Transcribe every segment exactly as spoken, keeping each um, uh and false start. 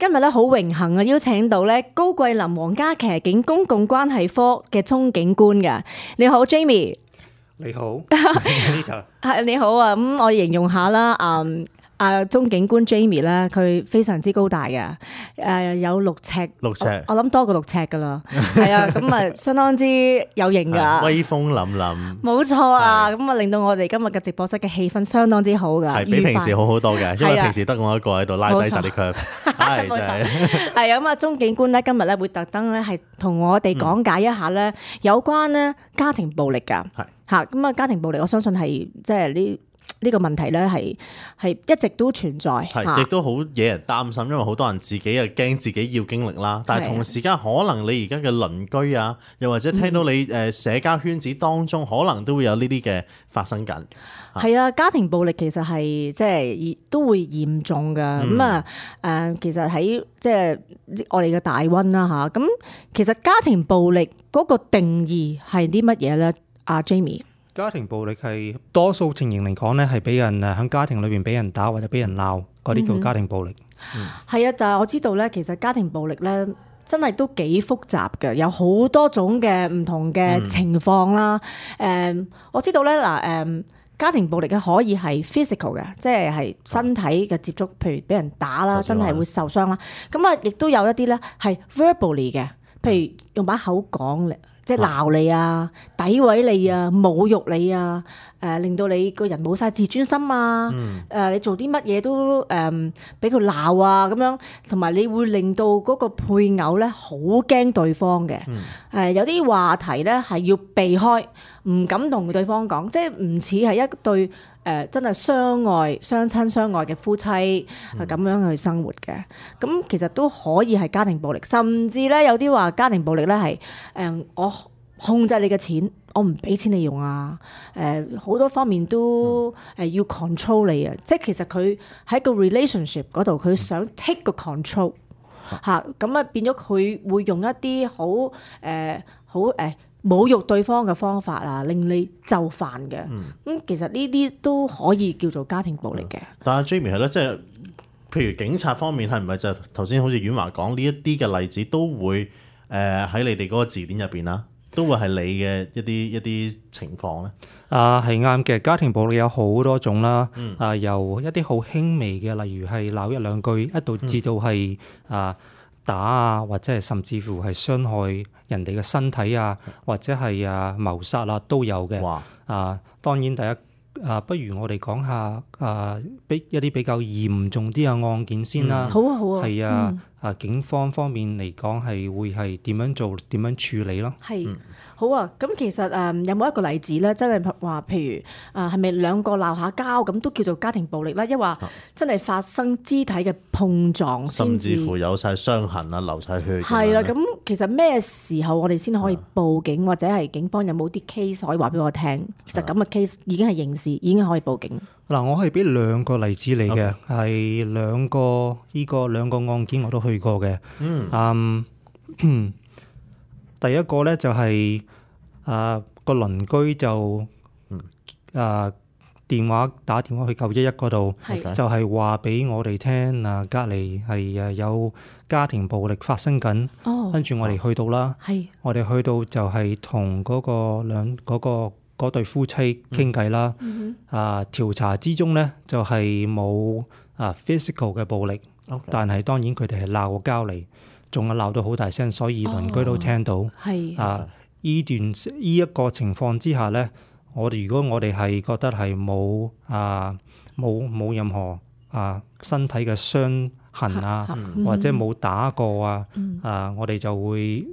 今日咧好榮幸啊，邀請到咧高桂林皇家騎警公共關係科嘅鐘警官嘅。你好 ，Jamie。你好，係你好啊。咁我形容下啦，嗯。啊，鐘警官 Jamie 咧，佢非常之高大嘅，誒有六尺，六尺，我諗多過六尺噶啦，係啊，咁啊相當之有型噶，威風凜凜，冇錯啊，咁啊令到我哋今日嘅直播室嘅氣氛相當之好噶，係比平時好好多嘅，因為平時得我一個喺度拉低晒啲 curve，係冇錯，係啊，咁啊鐘警官咧今日咧會特登咧係同我哋講解一下咧有關咧家庭暴力噶，係嚇，咁啊家庭暴力我相信係即係呢。呢個問題咧係係一直都存在，係亦都好惹人擔心，因為好多人自己又驚自己要經歷啦。但係同時間可能你而家嘅鄰居啊，又或者聽到你誒社交圈子當中，嗯、可能都會有呢啲嘅發生緊。係啊，家庭暴力其實係即係都會嚴重㗎。咁啊誒，其實喺即係我哋嘅大溫啦嚇。咁其實家庭暴力嗰個定義係啲乜嘢咧？阿 Jamie。家庭暴力係多數情形嚟講咧，係俾人誒喺家庭裏邊俾人打或者俾人鬧，嗰啲叫家庭暴力。係啊、嗯，但係我知道咧，其實家庭暴力咧真係都幾複雜嘅，有好多種嘅唔同嘅情況啦。誒、嗯嗯，我知道咧嗱誒，家庭暴力嘅可以係 physical 嘅，即係係身體嘅接觸，譬如俾人打啦，真係會受傷啦。咁啊，亦都有一啲咧係 verbally 嘅，譬如用把口講嚟。即係鬧你啊、詆毀你啊、侮辱你啊、誒、呃、令到你個人冇晒自尊心啊、誒、嗯呃、你做啲乜嘢都誒俾佢鬧啊咁樣，同埋你會令到嗰個配偶咧好驚對方嘅。誒、嗯呃、有啲話題咧係要避開，唔敢同對方講，即係唔似係一對。誒、呃、真係相愛、相親相愛嘅夫妻係咁樣去生活嘅，咁、嗯、其實都可以係家庭暴力，甚至咧有啲話家庭暴力咧係誒我控制你嘅錢，我唔俾錢你用啊，誒、呃、好多方面都誒要 control 你啊，嗯、即係其實佢喺個 relationship 嗰度，佢想 take 個 control 嚇，咁啊變咗佢會用一啲好誒好誒。侮辱對方嘅方法啊，令你就範嘅。咁、嗯、其實呢啲都可以叫做家庭暴力嘅、嗯。但係 Jamie 係咯，即係譬如警察方面係唔係就頭先好似婉華講呢一啲嘅例子都會誒喺、呃、你哋嗰個字典入邊啦，都會係你嘅一啲一啲情況咧。啊，係啱嘅。家庭暴力有好多種啦。嗯、啊，由一啲好輕微嘅，例如係鬧一兩句，一度至到係啊。打啊，或者係甚至乎係傷害人哋嘅身體啊，或者係啊謀殺啊都有嘅。哇啊，當然第一啊，不如我哋講下啊，比一啲比較嚴重啲嘅案件先啦。好啊，好啊。係啊，嗯、啊警方方面嚟講係會係點樣做、點樣處理咯？係。嗯好啊，咁其實誒有冇一個例子咧？真係話譬如誒係咪兩個鬧下交咁都叫做家庭暴力咧？抑或真係發生肢體嘅碰撞先至，甚至乎有晒傷痕啊、流晒血。係啦，咁其實咩時候我哋先可以報警，或者係警方有冇啲 case 可以話俾我聽？其實咁嘅 case 已經係刑事，已經可以報警。嗱，我可以俾兩個例子你嘅，係 Okay. 兩個呢個兩個案件我都去過嘅。嗯。Um, 第一個咧就係、是、啊個鄰居就啊電話打電話去九一一嗰度，是就係話俾我哋聽啊隔離係誒有家庭暴力發生緊，跟住、哦、我哋去到啦，是我哋去到就係同嗰個兩嗰、嗰個嗰對夫妻傾偈啦，嗯、啊調查之中咧就係冇啊 physical 嘅暴力，Okay. 但係當然佢哋係鬧交嚟。仲係鬧到好大聲，所以鄰居都聽到。係、哦、啊，依段依一個情況之下咧，我哋如果我哋係覺得係冇啊冇冇任何啊身體嘅傷痕啊，嗯、或者冇打過啊，嗯、啊我哋就會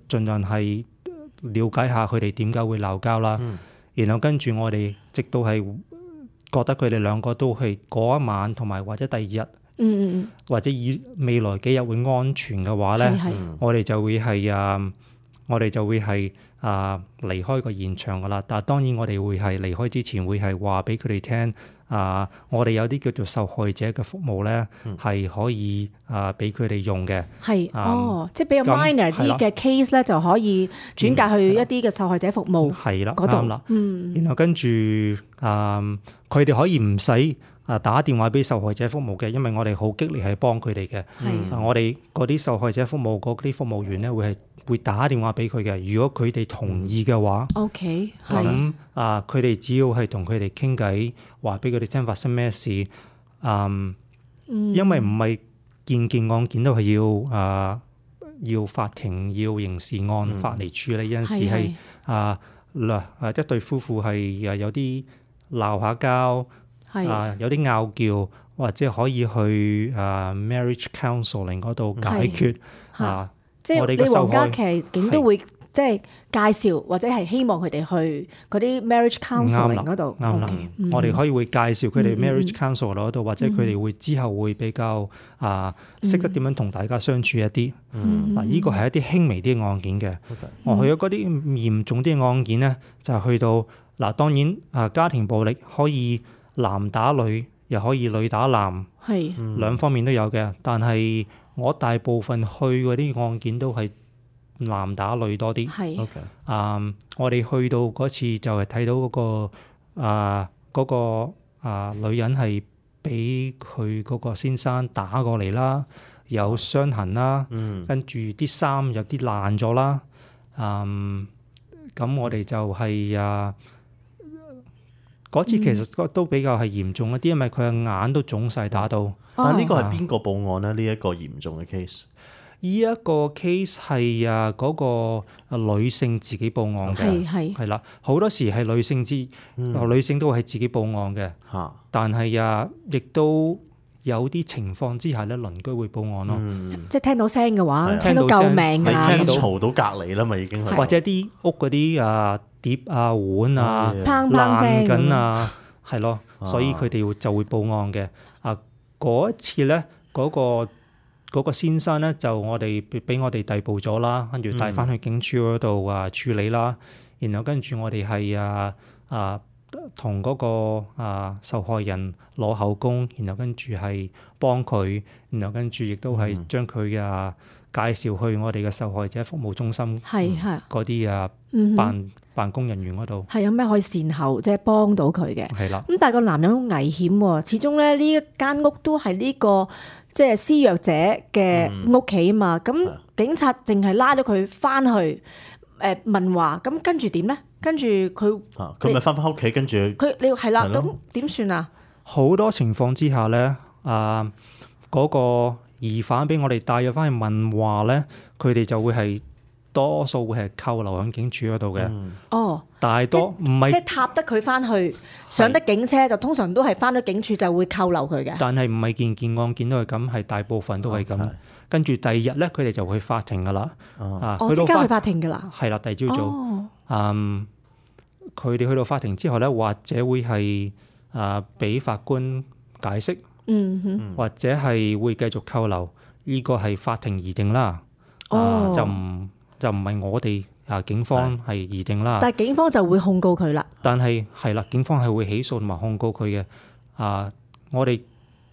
盡量係了解下佢哋點解會鬧交啦。嗯、然後跟住我哋直到係覺得佢哋兩個都係嗰一晚同埋或者第二日。嗯嗯或者以未來幾日會安全嘅話咧，我哋就會係啊，我哋就會係啊離開個現場噶啦。但係當然我哋會係離開之前會係話俾佢哋聽啊，我哋有啲叫做受害者嘅服務咧，係、嗯、可以啊俾佢哋用嘅。係、嗯、哦，即係比較 minor 啲嘅 case 咧，就可以轉介去一啲嘅受害者服務。係啦，嗰度啦。嗯，然後跟住啊，佢哋可以唔使。啊打電話俾受害者服務嘅，因為我哋好激烈係幫佢哋嘅。係啊我哋嗰啲受害者服務嗰啲服務員咧，會係會打電話俾佢嘅。如果佢哋同意嘅話， OK 係咁啊佢哋只要係同佢哋傾偈，話俾佢哋聽發生咩事。嗯，因為唔係件件案件都係要啊要法庭要刑事案法嚟處理，有陣時係啊嗱啊一對夫婦係啊有啲鬧下交。係啊，有啲拗撬，或者可以去啊 marriage counselling 嗰度解決啊。即係你我哋嘅受害皇家騎警都會即係介紹或者係希望佢哋去嗰啲 marriage counselling 嗰度。啱啦，我哋可以會介紹佢哋 marriage counselling 嗰度，或者佢哋會之後會比較啊識得點樣同大家相處一啲。嗱，呢個係一啲輕微啲嘅案件嘅。我去咗嗰啲嚴重啲嘅案件咧，就係去到嗱，當然啊家庭暴力可以。男打女，又可以女打男，係兩方面都有嘅。但係我大部分去嗰啲案件都係男打女多啲。係 OK 啊，我哋去到嗰次就係睇到嗰個啊嗰個啊女人係俾佢嗰個先生打過嚟啦，有傷痕啦，跟住啲衫有啲爛咗啦。嗯，咁我哋就係啊。嗰次其實都比較係嚴重一啲，因為佢嘅眼都腫晒打到。但係呢個係邊個報案咧？呢一個嚴重嘅 case，呢一個 case 係啊嗰個女性自己報案嘅，係係係啦，好多時係女性之、嗯、女性都係自己報案嘅。嚇，但係啊，亦都有啲情況之下咧，鄰居會報案咯。嗯、即係聽到聲嘅話，的聽到救命啊，聽到嘈到隔離啦嘛，已經係或者啲屋嗰啲啊。碟啊碗啊砰砰聲爛緊啊，係咯，所以佢哋就會報案嘅。啊，嗰一次咧，嗰、嗰個嗰個先生咧就我哋俾我哋逮捕咗啦，跟住帶翻去警署嗰度啊處理啦。然後跟住我哋係啊啊同嗰個啊受害人攞口供，然後跟住係幫佢，然後跟住亦都係將佢啊介紹去我哋嘅受害者服務中心，係係嗰啲啊辦辦公人員嗰度，係有咩可以善後即係幫到佢嘅。係啦，咁但係個男人好危險喎，始終咧呢一間屋都係呢個即係施虐者嘅屋企啊嘛。咁警察淨係拉咗佢翻去誒問話，咁跟住點咧？跟住佢佢咪翻返屋企，跟住佢你係啦，咁點算啊？好多情況之下咧，啊嗰個疑犯俾我哋帶咗翻去問話咧，佢哋就會係。多數會係扣留喺警署嗰度嘅。哦，大多唔係即係踏得佢翻去上得警車，就通常都係翻到警署就會扣留佢嘅。但係唔係件件案件都係咁，係大部分都係咁。跟住第二日咧，佢哋就會去法庭噶啦。啊，即刻去法庭噶啦。係啦，第二朝早。嗯，佢哋去到法庭之後咧，或者會係啊俾法官解釋。嗯哼。或者係會繼續扣留，呢個係法庭擬定啦。哦。就唔。就唔係我哋啊，警方係擬定啦。但係警方就會控告佢啦。但係係啦，警方係會起訴同埋控告佢嘅。啊，我哋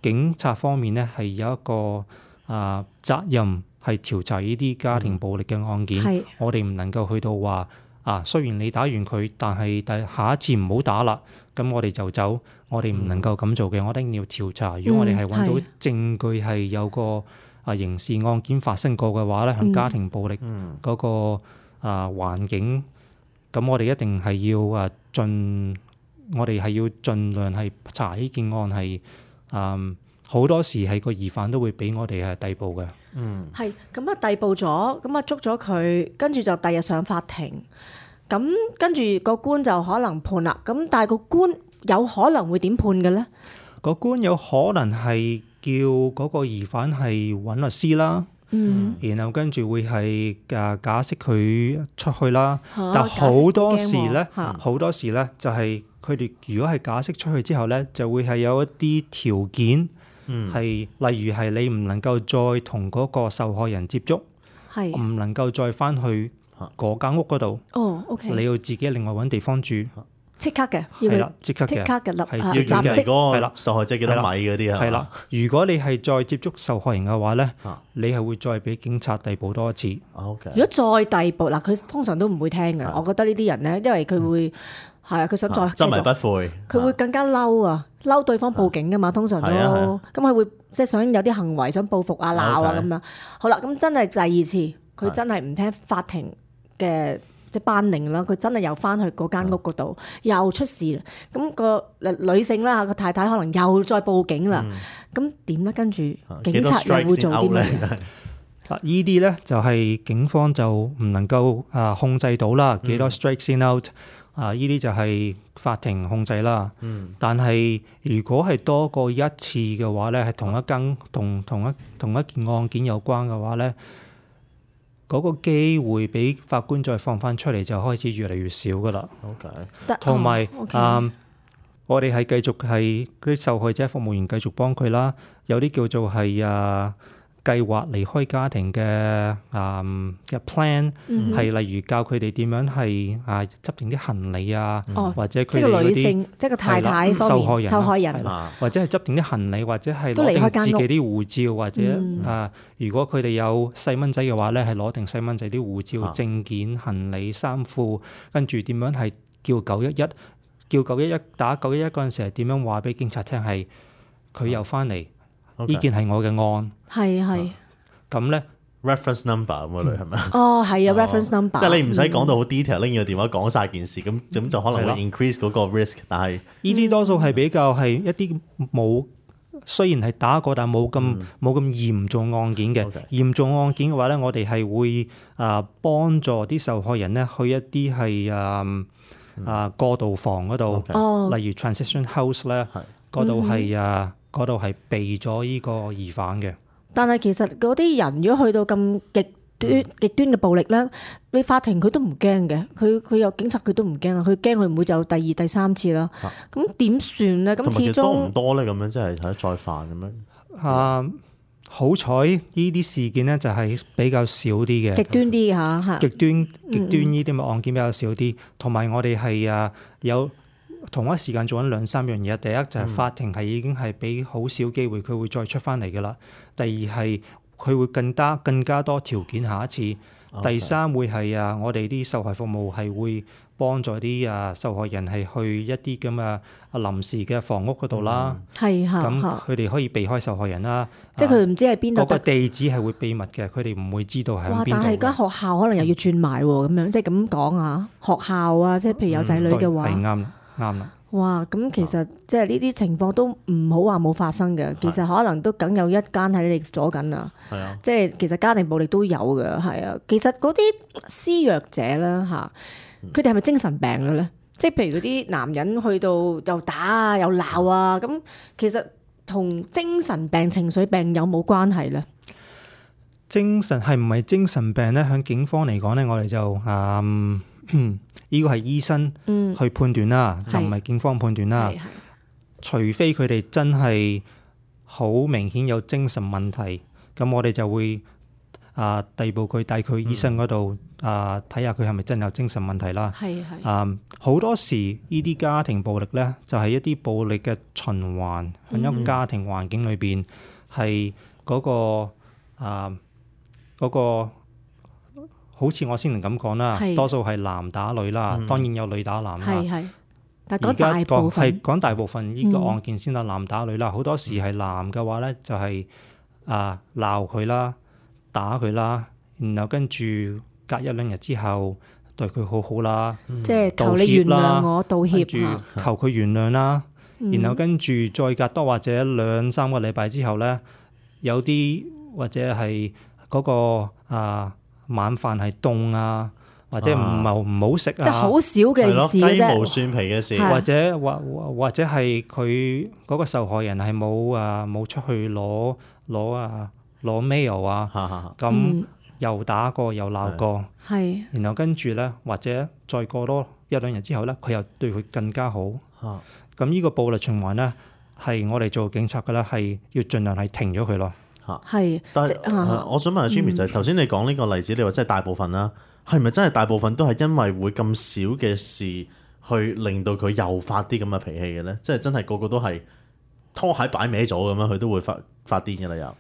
警察方面咧係有一個啊責任係調查呢啲家庭暴力嘅案件。嗯、我哋唔能夠去到話啊，雖然你打完佢，但係但下一次唔好打啦。咁我哋就走，我哋唔能夠咁做嘅。嗯、我一定要調查。如果我哋係揾到證據係有個啊，刑事案件發生過嘅話咧，喺家庭暴力嗰個啊環境，咁我哋一定係要啊盡，我哋係要盡量係查呢件案係，嗯，好多時係個疑犯都會俾我哋係逮捕嘅。嗯，係咁啊，逮捕咗，咁啊捉咗佢，跟住就第日上法庭，咁跟住個官就可能判啦。咁但係個官有可能會點判嘅咧？個官有可能係。叫嗰個疑犯係揾律師啦，嗯、然後跟住會係誒假釋佢出去啦。啊、但好多時咧，好、啊、多時咧就係佢哋如果係假釋出去之後咧，就會係有一啲條件，係、嗯、例如係你唔能夠再同嗰個受害人接觸，唔是能夠再翻去嗰間屋嗰度。哦，OK，你要自己另外揾地方住。即刻嘅，係啦，即刻嘅，即刻嘅立係要要嘅嗰個受害者幾多米嗰啲啊？係啦，如果你係再接觸受害人嘅話咧，你係會再俾警察逮捕多一次。OK。如果再逮捕嗱，佢通常都唔會聽嘅。我覺得呢啲人咧，因為佢會係啊，佢想再執迷繼續不悔，佢會更加嬲啊，嬲對方報警噶嘛，通常都係啊係啊咁佢會即係想有啲行為想報復啊、鬧啊 OK 咁樣。好啦，咁真係第二次佢真係唔聽法庭嘅即係頒令啦，佢真係又翻去嗰間屋嗰度又出事啦。咁個女性啦，個太太可能又再報警啦。咁點咧？跟住警察又會做啲咩？啊！依啲咧就係警方就唔能夠啊控制到啦，幾多 strike 先 out 啊？依啲就係法庭控制啦。嗯。但係如果係多過一次嘅話咧，係同一間同同一同一件案件有關嘅話咧，嗰個機會俾法官再放翻出嚟就開始越嚟越少噶啦。OK。同埋哦，OK 啊，我哋係繼續係嗰啲受害者服務員繼續幫佢啦。有啲叫做係啊。計劃離開家庭嘅啊嘅 plan 係例如教佢哋點樣係啊執定啲行李啊，哦或者即係個佢哋嗰啲女性，即係個太太方受害人面受害人係啦或者係執定啲行李，或者係都攞離開間屋定自己啲護照，或者嗯啊，如果佢哋有細蚊仔嘅話咧，係攞定細蚊仔啲護照、啊證件、行李、衫褲，跟住點樣係叫九一一，叫九一一打九一一嗰陣時係點樣話俾警察聽係佢又翻嚟，呢件係我嘅案，係係咁咧。 reference number 咁嗰類係咪？哦係啊 reference number，即係你唔使講到好 detail，拎住個電話講晒件事，咁咁就可能會 increase 嗰個 risk。但係呢啲多數係比較係一啲冇，雖然係打過，但冇咁冇咁嚴重案件嘅。 OK 嚴重案件嘅話咧，我哋係會啊幫助啲受害人咧去一啲係啊啊過渡房嗰度 OK 哦例如 transition house 咧，嗰度係啊嗰度係避咗呢個疑犯嘅。但係其實嗰啲人如果去到咁極端極端嘅暴力咧，你法庭佢都唔驚嘅，佢佢有警察佢都唔驚啊，佢驚佢唔會有第二第三次啦。咁點算咧？咁始同埋其實多唔終多咧？咁樣即係睇再犯咁樣。啊，好彩呢啲事件咧就係比較少啲嘅。極端啲嚇嚇。極端極端呢啲嘅案件比較少啲，同埋我哋係啊有同一時間做緊兩三樣嘢。第一就係法庭係已經係俾好少機會佢會再出翻嚟㗎啦。第二係佢會更加更加多條件下一次。第三會係啊我哋啲受害服務係會幫助啲啊受害人係去一啲咁啊臨時嘅房屋嗰度啦。係嚇咁嚇，佢哋可以避開受害人啦。即係佢唔知係邊度嗰個得。地址係會秘密嘅，佢哋唔會知道係哇！喺邊度嘅。但係間學校可能又要轉埋喎，咁樣即係咁講啊。學校啊，即係譬如有仔女嘅係話，啱啦，啱啦。哇！咁其實即係呢啲情況都唔好話冇發生嘅，其實可能都梗有一間喺你左緊啊。係啊，即係其實家庭暴力都有嘅，係啊。其實嗰啲施虐者咧嚇，佢哋係咪精神病嘅咧？即係譬如嗰啲男人去到又打啊又鬧啊，咁其實同精神病、情緒病有冇關係咧？精神係唔係精神病咧？響警方嚟講咧，我哋就嗯呢個係醫生去判斷啦，嗯就唔係警方判斷啦。係係除非佢哋真係好明顯有精神問題，咁我哋就會啊逮捕佢帶佢去醫生嗰度啊睇下佢係咪真有精神問題啦。係係啊好多時呢啲家庭暴力咧，就係一啲暴力嘅循環喺一個家庭環境裏邊係嗰個啊嗰個。好似我先能咁講啦，係多數係男打女啦，當然有女打男啦。係係，但係講而家大部講係分講大部分呢個案件先啦，男打女啦。好多時係男嘅話咧，就係啊鬧佢啦，打佢啦，然後跟住隔一兩日之後對佢好好啦，即係求道你原歉啦諒我，道歉跟住嚇。求佢原諒啦，嗯然後跟住再隔多或者兩三個禮拜之後咧，有啲或者係嗰個啊。晚飯係凍啊，或者唔係唔好食啊，即係好少係嘅咯，雞事嘅啫。毛蒜皮嘅事，係或者或或或者係佢嗰個受害人係冇啊冇出去攞攞啊攞 mail 啊，哈哈哈咁嗯又打過又鬧過，係然後跟住咧或者再過多一兩日之後咧，佢又對佢更加好。哈咁呢個暴力循環咧，係我哋做警察嘅咧，係要盡量係停咗佢咯。係，但即係、呃我想問下 Jimmy 就係頭先你講呢個例子，你話真係大部分啦，係咪真係大部分都係因為會咁少嘅事，去令到佢又發啲咁嘅脾氣嘅咧？即係真係個個都係拖鞋擺歪咗咁樣，佢都會發發癲嘅啦又。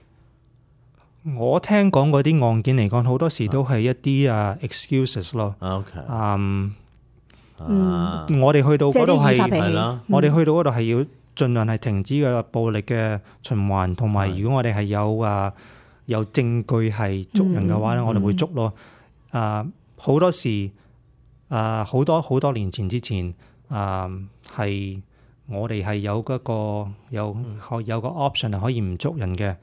我聽講嗰啲案件嚟講，好多時都係一啲啊 excuses 咯。啊 OK，嗯，啊，我哋去到嗰度係即係啲易發脾氣係啦，我哋去到嗰度係要盡量係停止嘅暴力嘅循環，同埋如果我哋係有啊有證據係捉人嘅話咧，嗯我哋會捉咯。啊，好多時啊，好多好多年前之前啊，係我哋係有嗰個有可有個 option 係可以唔捉人嘅，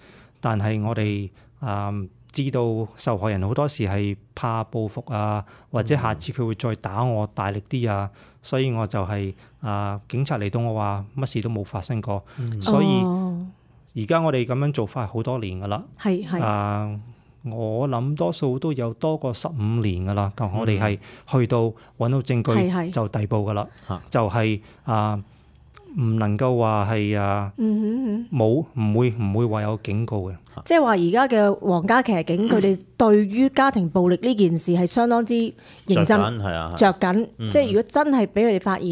但係我哋啊知道受害人好多時係怕報復啊，或者下次佢會再打我大力啲啊，所以我就係、啊警察嚟到我話乜事都冇發生過，所以哦而家我哋咁樣做法係好多年噶啦。係係啊，我諗多數都有多過十五年噶啦。咁我哋係去到揾到證係係據就逮捕噶啦嚇，就係啊唔能夠話係啊嗯哼哼。冇唔會唔會話有警告嘅。即係話而家嘅皇家騎警，佢哋對於家庭暴力呢件事係相當之認真着緊係啊，着緊。即係如果真係俾佢哋發現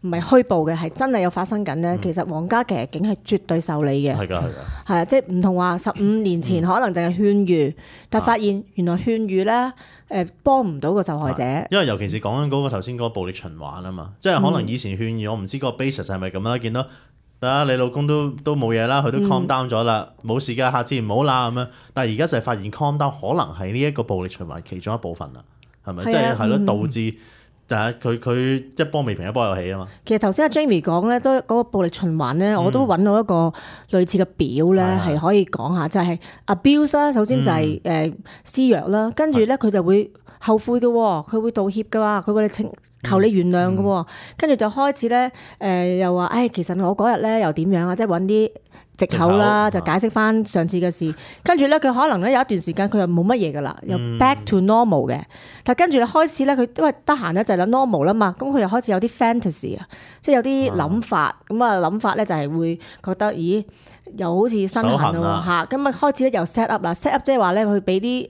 唔係虛報嘅，係真係有發生緊咧，其實皇家騎警係絕對受理嘅。係㗎係㗎。係啊，即係唔同話十五年前可能淨係勸喻，但係發現原來勸喻咧誒幫唔到個受害者。因為尤其是講緊嗰個頭先嗰個暴力循環啊嘛，即係可能以前勸喻我唔知個 basis 係咪咁啦，見到啊你老公都都冇嘢啦，佢都 calm down 咗啦，冇事㗎，下次唔好啦咁樣。但係而家就係發現 calm down 可能係呢一個暴力循環其中一部分啦，係咪？係啊即係係咯，嗯導致就係佢佢一波未平一波又起啊嘛。其實頭先阿 Jamie 講咧，都嗰個暴力循環咧，我都揾到一個類似嘅表咧，係係係可以講下，就係 abuse 啦。首先就係誒施虐啦，跟住咧佢就會後悔嘅喎，佢會道歉嘅喎，佢會你請求你原諒嘅喎，跟住就開始咧誒又話，誒其實我嗰日咧又點樣啊，即係揾啲藉口啦，就藉口解釋翻上次嘅事。跟住咧佢可能咧有一段時間佢又冇乜嘢噶啦，又 back to normal 嘅。但係跟住咧開始咧佢因為得閒咧就係諗 normal 啦嘛，咁佢又開始有啲 fantasy 啊，即係有啲諗法。咁啊諗法咧就係會覺得，咦又好似身痕手痕咯啊嚇，咁啊開始咧又 set up 啦，set up 即係話咧佢俾啲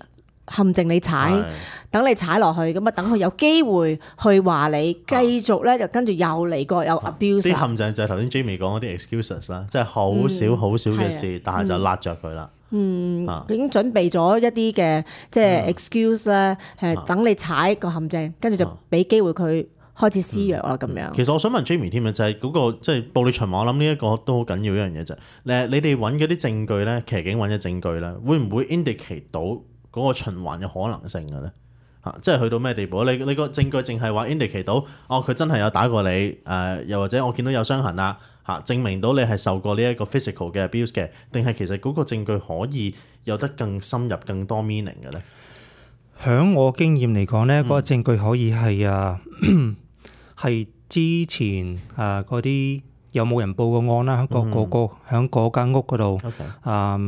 陷阱你踩。係等你踩落去，咁啊等佢有機會去話你，繼續咧就跟住又嚟過有 abuse 啲啊。陷阱就係頭先 Jamie 講嗰啲 excuses 啦，即係好少好少嘅事，但係就辣着佢啦。嗯，佢已經準備咗一啲嘅即係 excuse 咧，誒等你踩個陷阱，跟住就俾機會佢開始施虐啦咁樣。其實我想問 Jamie 添啊，就係嗰個即係暴力循環，我諗呢一個都好緊要一樣嘢就係誒，你哋揾嗰啲證據咧，騎警揾嘅證據咧，會唔會 indicate 到嗰個循環嘅可能性嘅咧？嚇，即係去到咩地步？你你個證據淨係話 indicate 到，哦佢真係有打過你，誒、呃、又或者我見到有傷痕啦，嚇，證明到你係受過呢一個 physical 嘅 abuse 嘅，定係其實嗰個證據可以有得更深入、更多 meaning 嘅咧？響我經驗嚟講咧，嗰、個證據可以係啊，係之前啊嗰啲有冇人報過案啦，喺個個個響嗰間屋嗰度 OK 啊，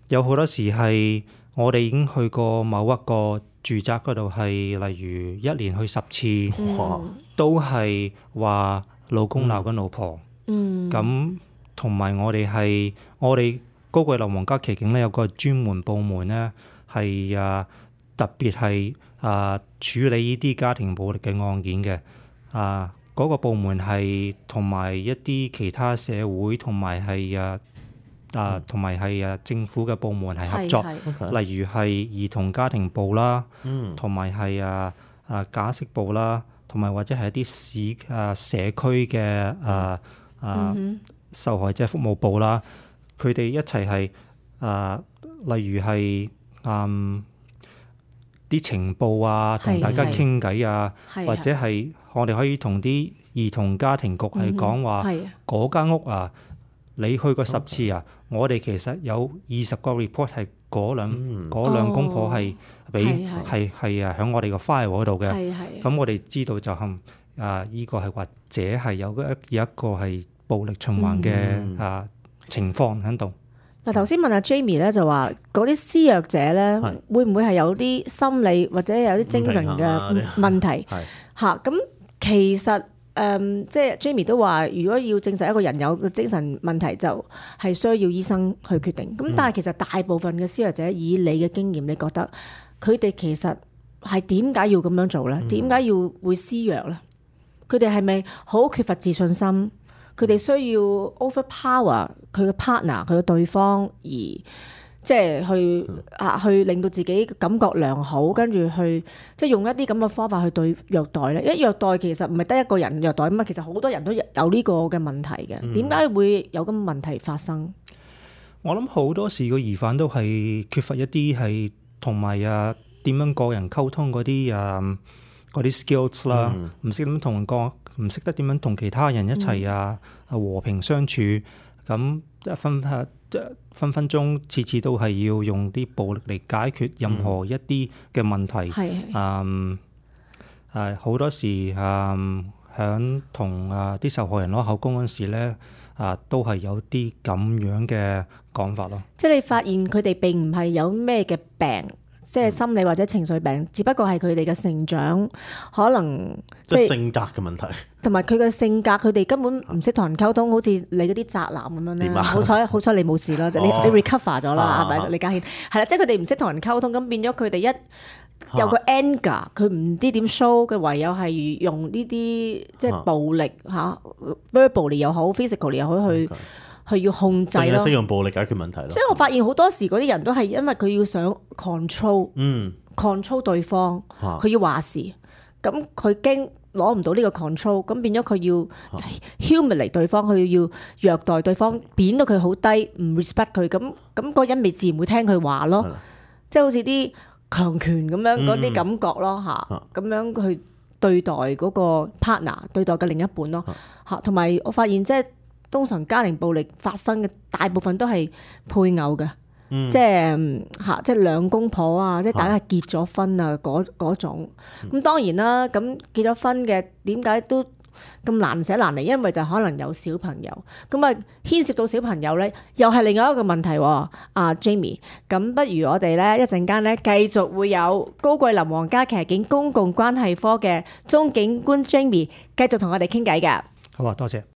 有好多時係我哋已經去過某一個住宅嗰度，係例如一年去十次，哇！都係話老公鬧緊老婆。嗯，咁同埋我哋係我哋高貴樓皇家騎警咧，有個專門部門咧，係啊特別係啊處理呢啲家庭暴力嘅案件嘅啊。嗰、個部門係同埋一啲其他社會同埋係啊啊同埋係啊政府嘅部門係合作，係係 OK 例如係兒童家庭部啦，嗯同埋係啊啊假釋部啦，同埋或者係一啲市啊社區嘅啊啊受害者服務部啦，佢哋一齊係啊，例如係嗯啲情報啊，同係大家係傾偈啊，係或者係我哋可以同啲兒童家庭局係講話係啊嗰間屋啊，你去過十次啊，我哋其實有二十個 report 係嗰兩嗰兩公婆係俾係係係啊喺我哋個 file 嗰度嘅。係係。咁我哋知道就係啊，依個係或者係有一有一個係暴力循環嘅啊情況喺度。嗱，頭先問阿 Jamie 咧就話嗰啲施虐者咧係會唔會係有啲心理或者有啲精神唔平衡啊嘅問題係嚇？咁其實誒、嗯即係 Jamie 都話，如果要證實一個人有個精神問題，就係需要醫生去決定。咁但係其實大部分嘅施虐者，以你嘅經驗，你覺得佢哋其實係點解要咁樣做咧？點解要會施虐咧？佢哋係咪好缺乏自信心？佢哋需要 overpower 佢嘅 partner 佢嘅對方，而即係去啊去令到自己感覺良好，跟住去即係用一啲咁嘅方法去對虐待咧。因為虐待其實唔係得一個人虐待啊嘛，其實好多人都有呢個嘅問題嘅。點解會有咁嘅問題發生？我諗好多時個疑犯都係缺乏一啲係同埋啊點樣個人溝通嗰啲啊嗰啲 skills 啦，唔識點同人講，唔識得點樣同其他人一齊啊和平相處，咁分分分分鐘次次都係要用啲暴力嚟解決任何一啲嘅問題。係嗯係好多時嗯響同啊啲受害人攞口供嗰時咧啊，都係有啲咁樣嘅講法咯。即係你發現佢哋並唔係有咩嘅病，即係心理或者情緒病，只不過係佢哋嘅成長可能即係性格嘅問題，同埋佢嘅性格，佢哋根本唔識同人溝通，好似你嗰啲宅男咁樣咧。好彩好彩你冇事啦，你你 recover 咗啦，係咪？李家謙係啦，即係佢哋唔識同人溝通，咁變咗佢哋一有個 anger，佢唔知點 show，佢唯有係用呢啲即係暴力嚇 verbally 又好 physically 又好去去要控制咯。淨係識用暴力解決問題咯。即係我發現好多時嗰啲人都係因為佢要想 control，嗯，control 對方，佢要話事，咁佢驚攞唔到呢個 control，咁變咗佢要 humiliate 對方，佢要虐待對方，貶到佢好低，唔 respect 佢，咁咁嗰個人咪自然會聽佢話咯，即係好似啲強權咁樣嗰啲感覺咯嚇，咁樣去對待嗰個 partner，對待嘅另一半咯嚇，同埋我發現即係通常家庭暴力發生嘅大部分都係配偶嘅，嗯、即係嚇，即係兩公婆啊，即係大家係結咗婚啊嗰嗰種。咁、嗯、當然啦，咁結咗婚嘅點解都咁難捨難離？因為就可能有小朋友，咁啊牽涉到小朋友咧，又係另外一個問題喎。阿、啊、Jamie，咁不如我哋咧一陣間咧繼續會有高桂林皇家騎警公共關係科嘅鍾警官 Jamie 繼續同我哋傾偈㗎。好啊，多謝。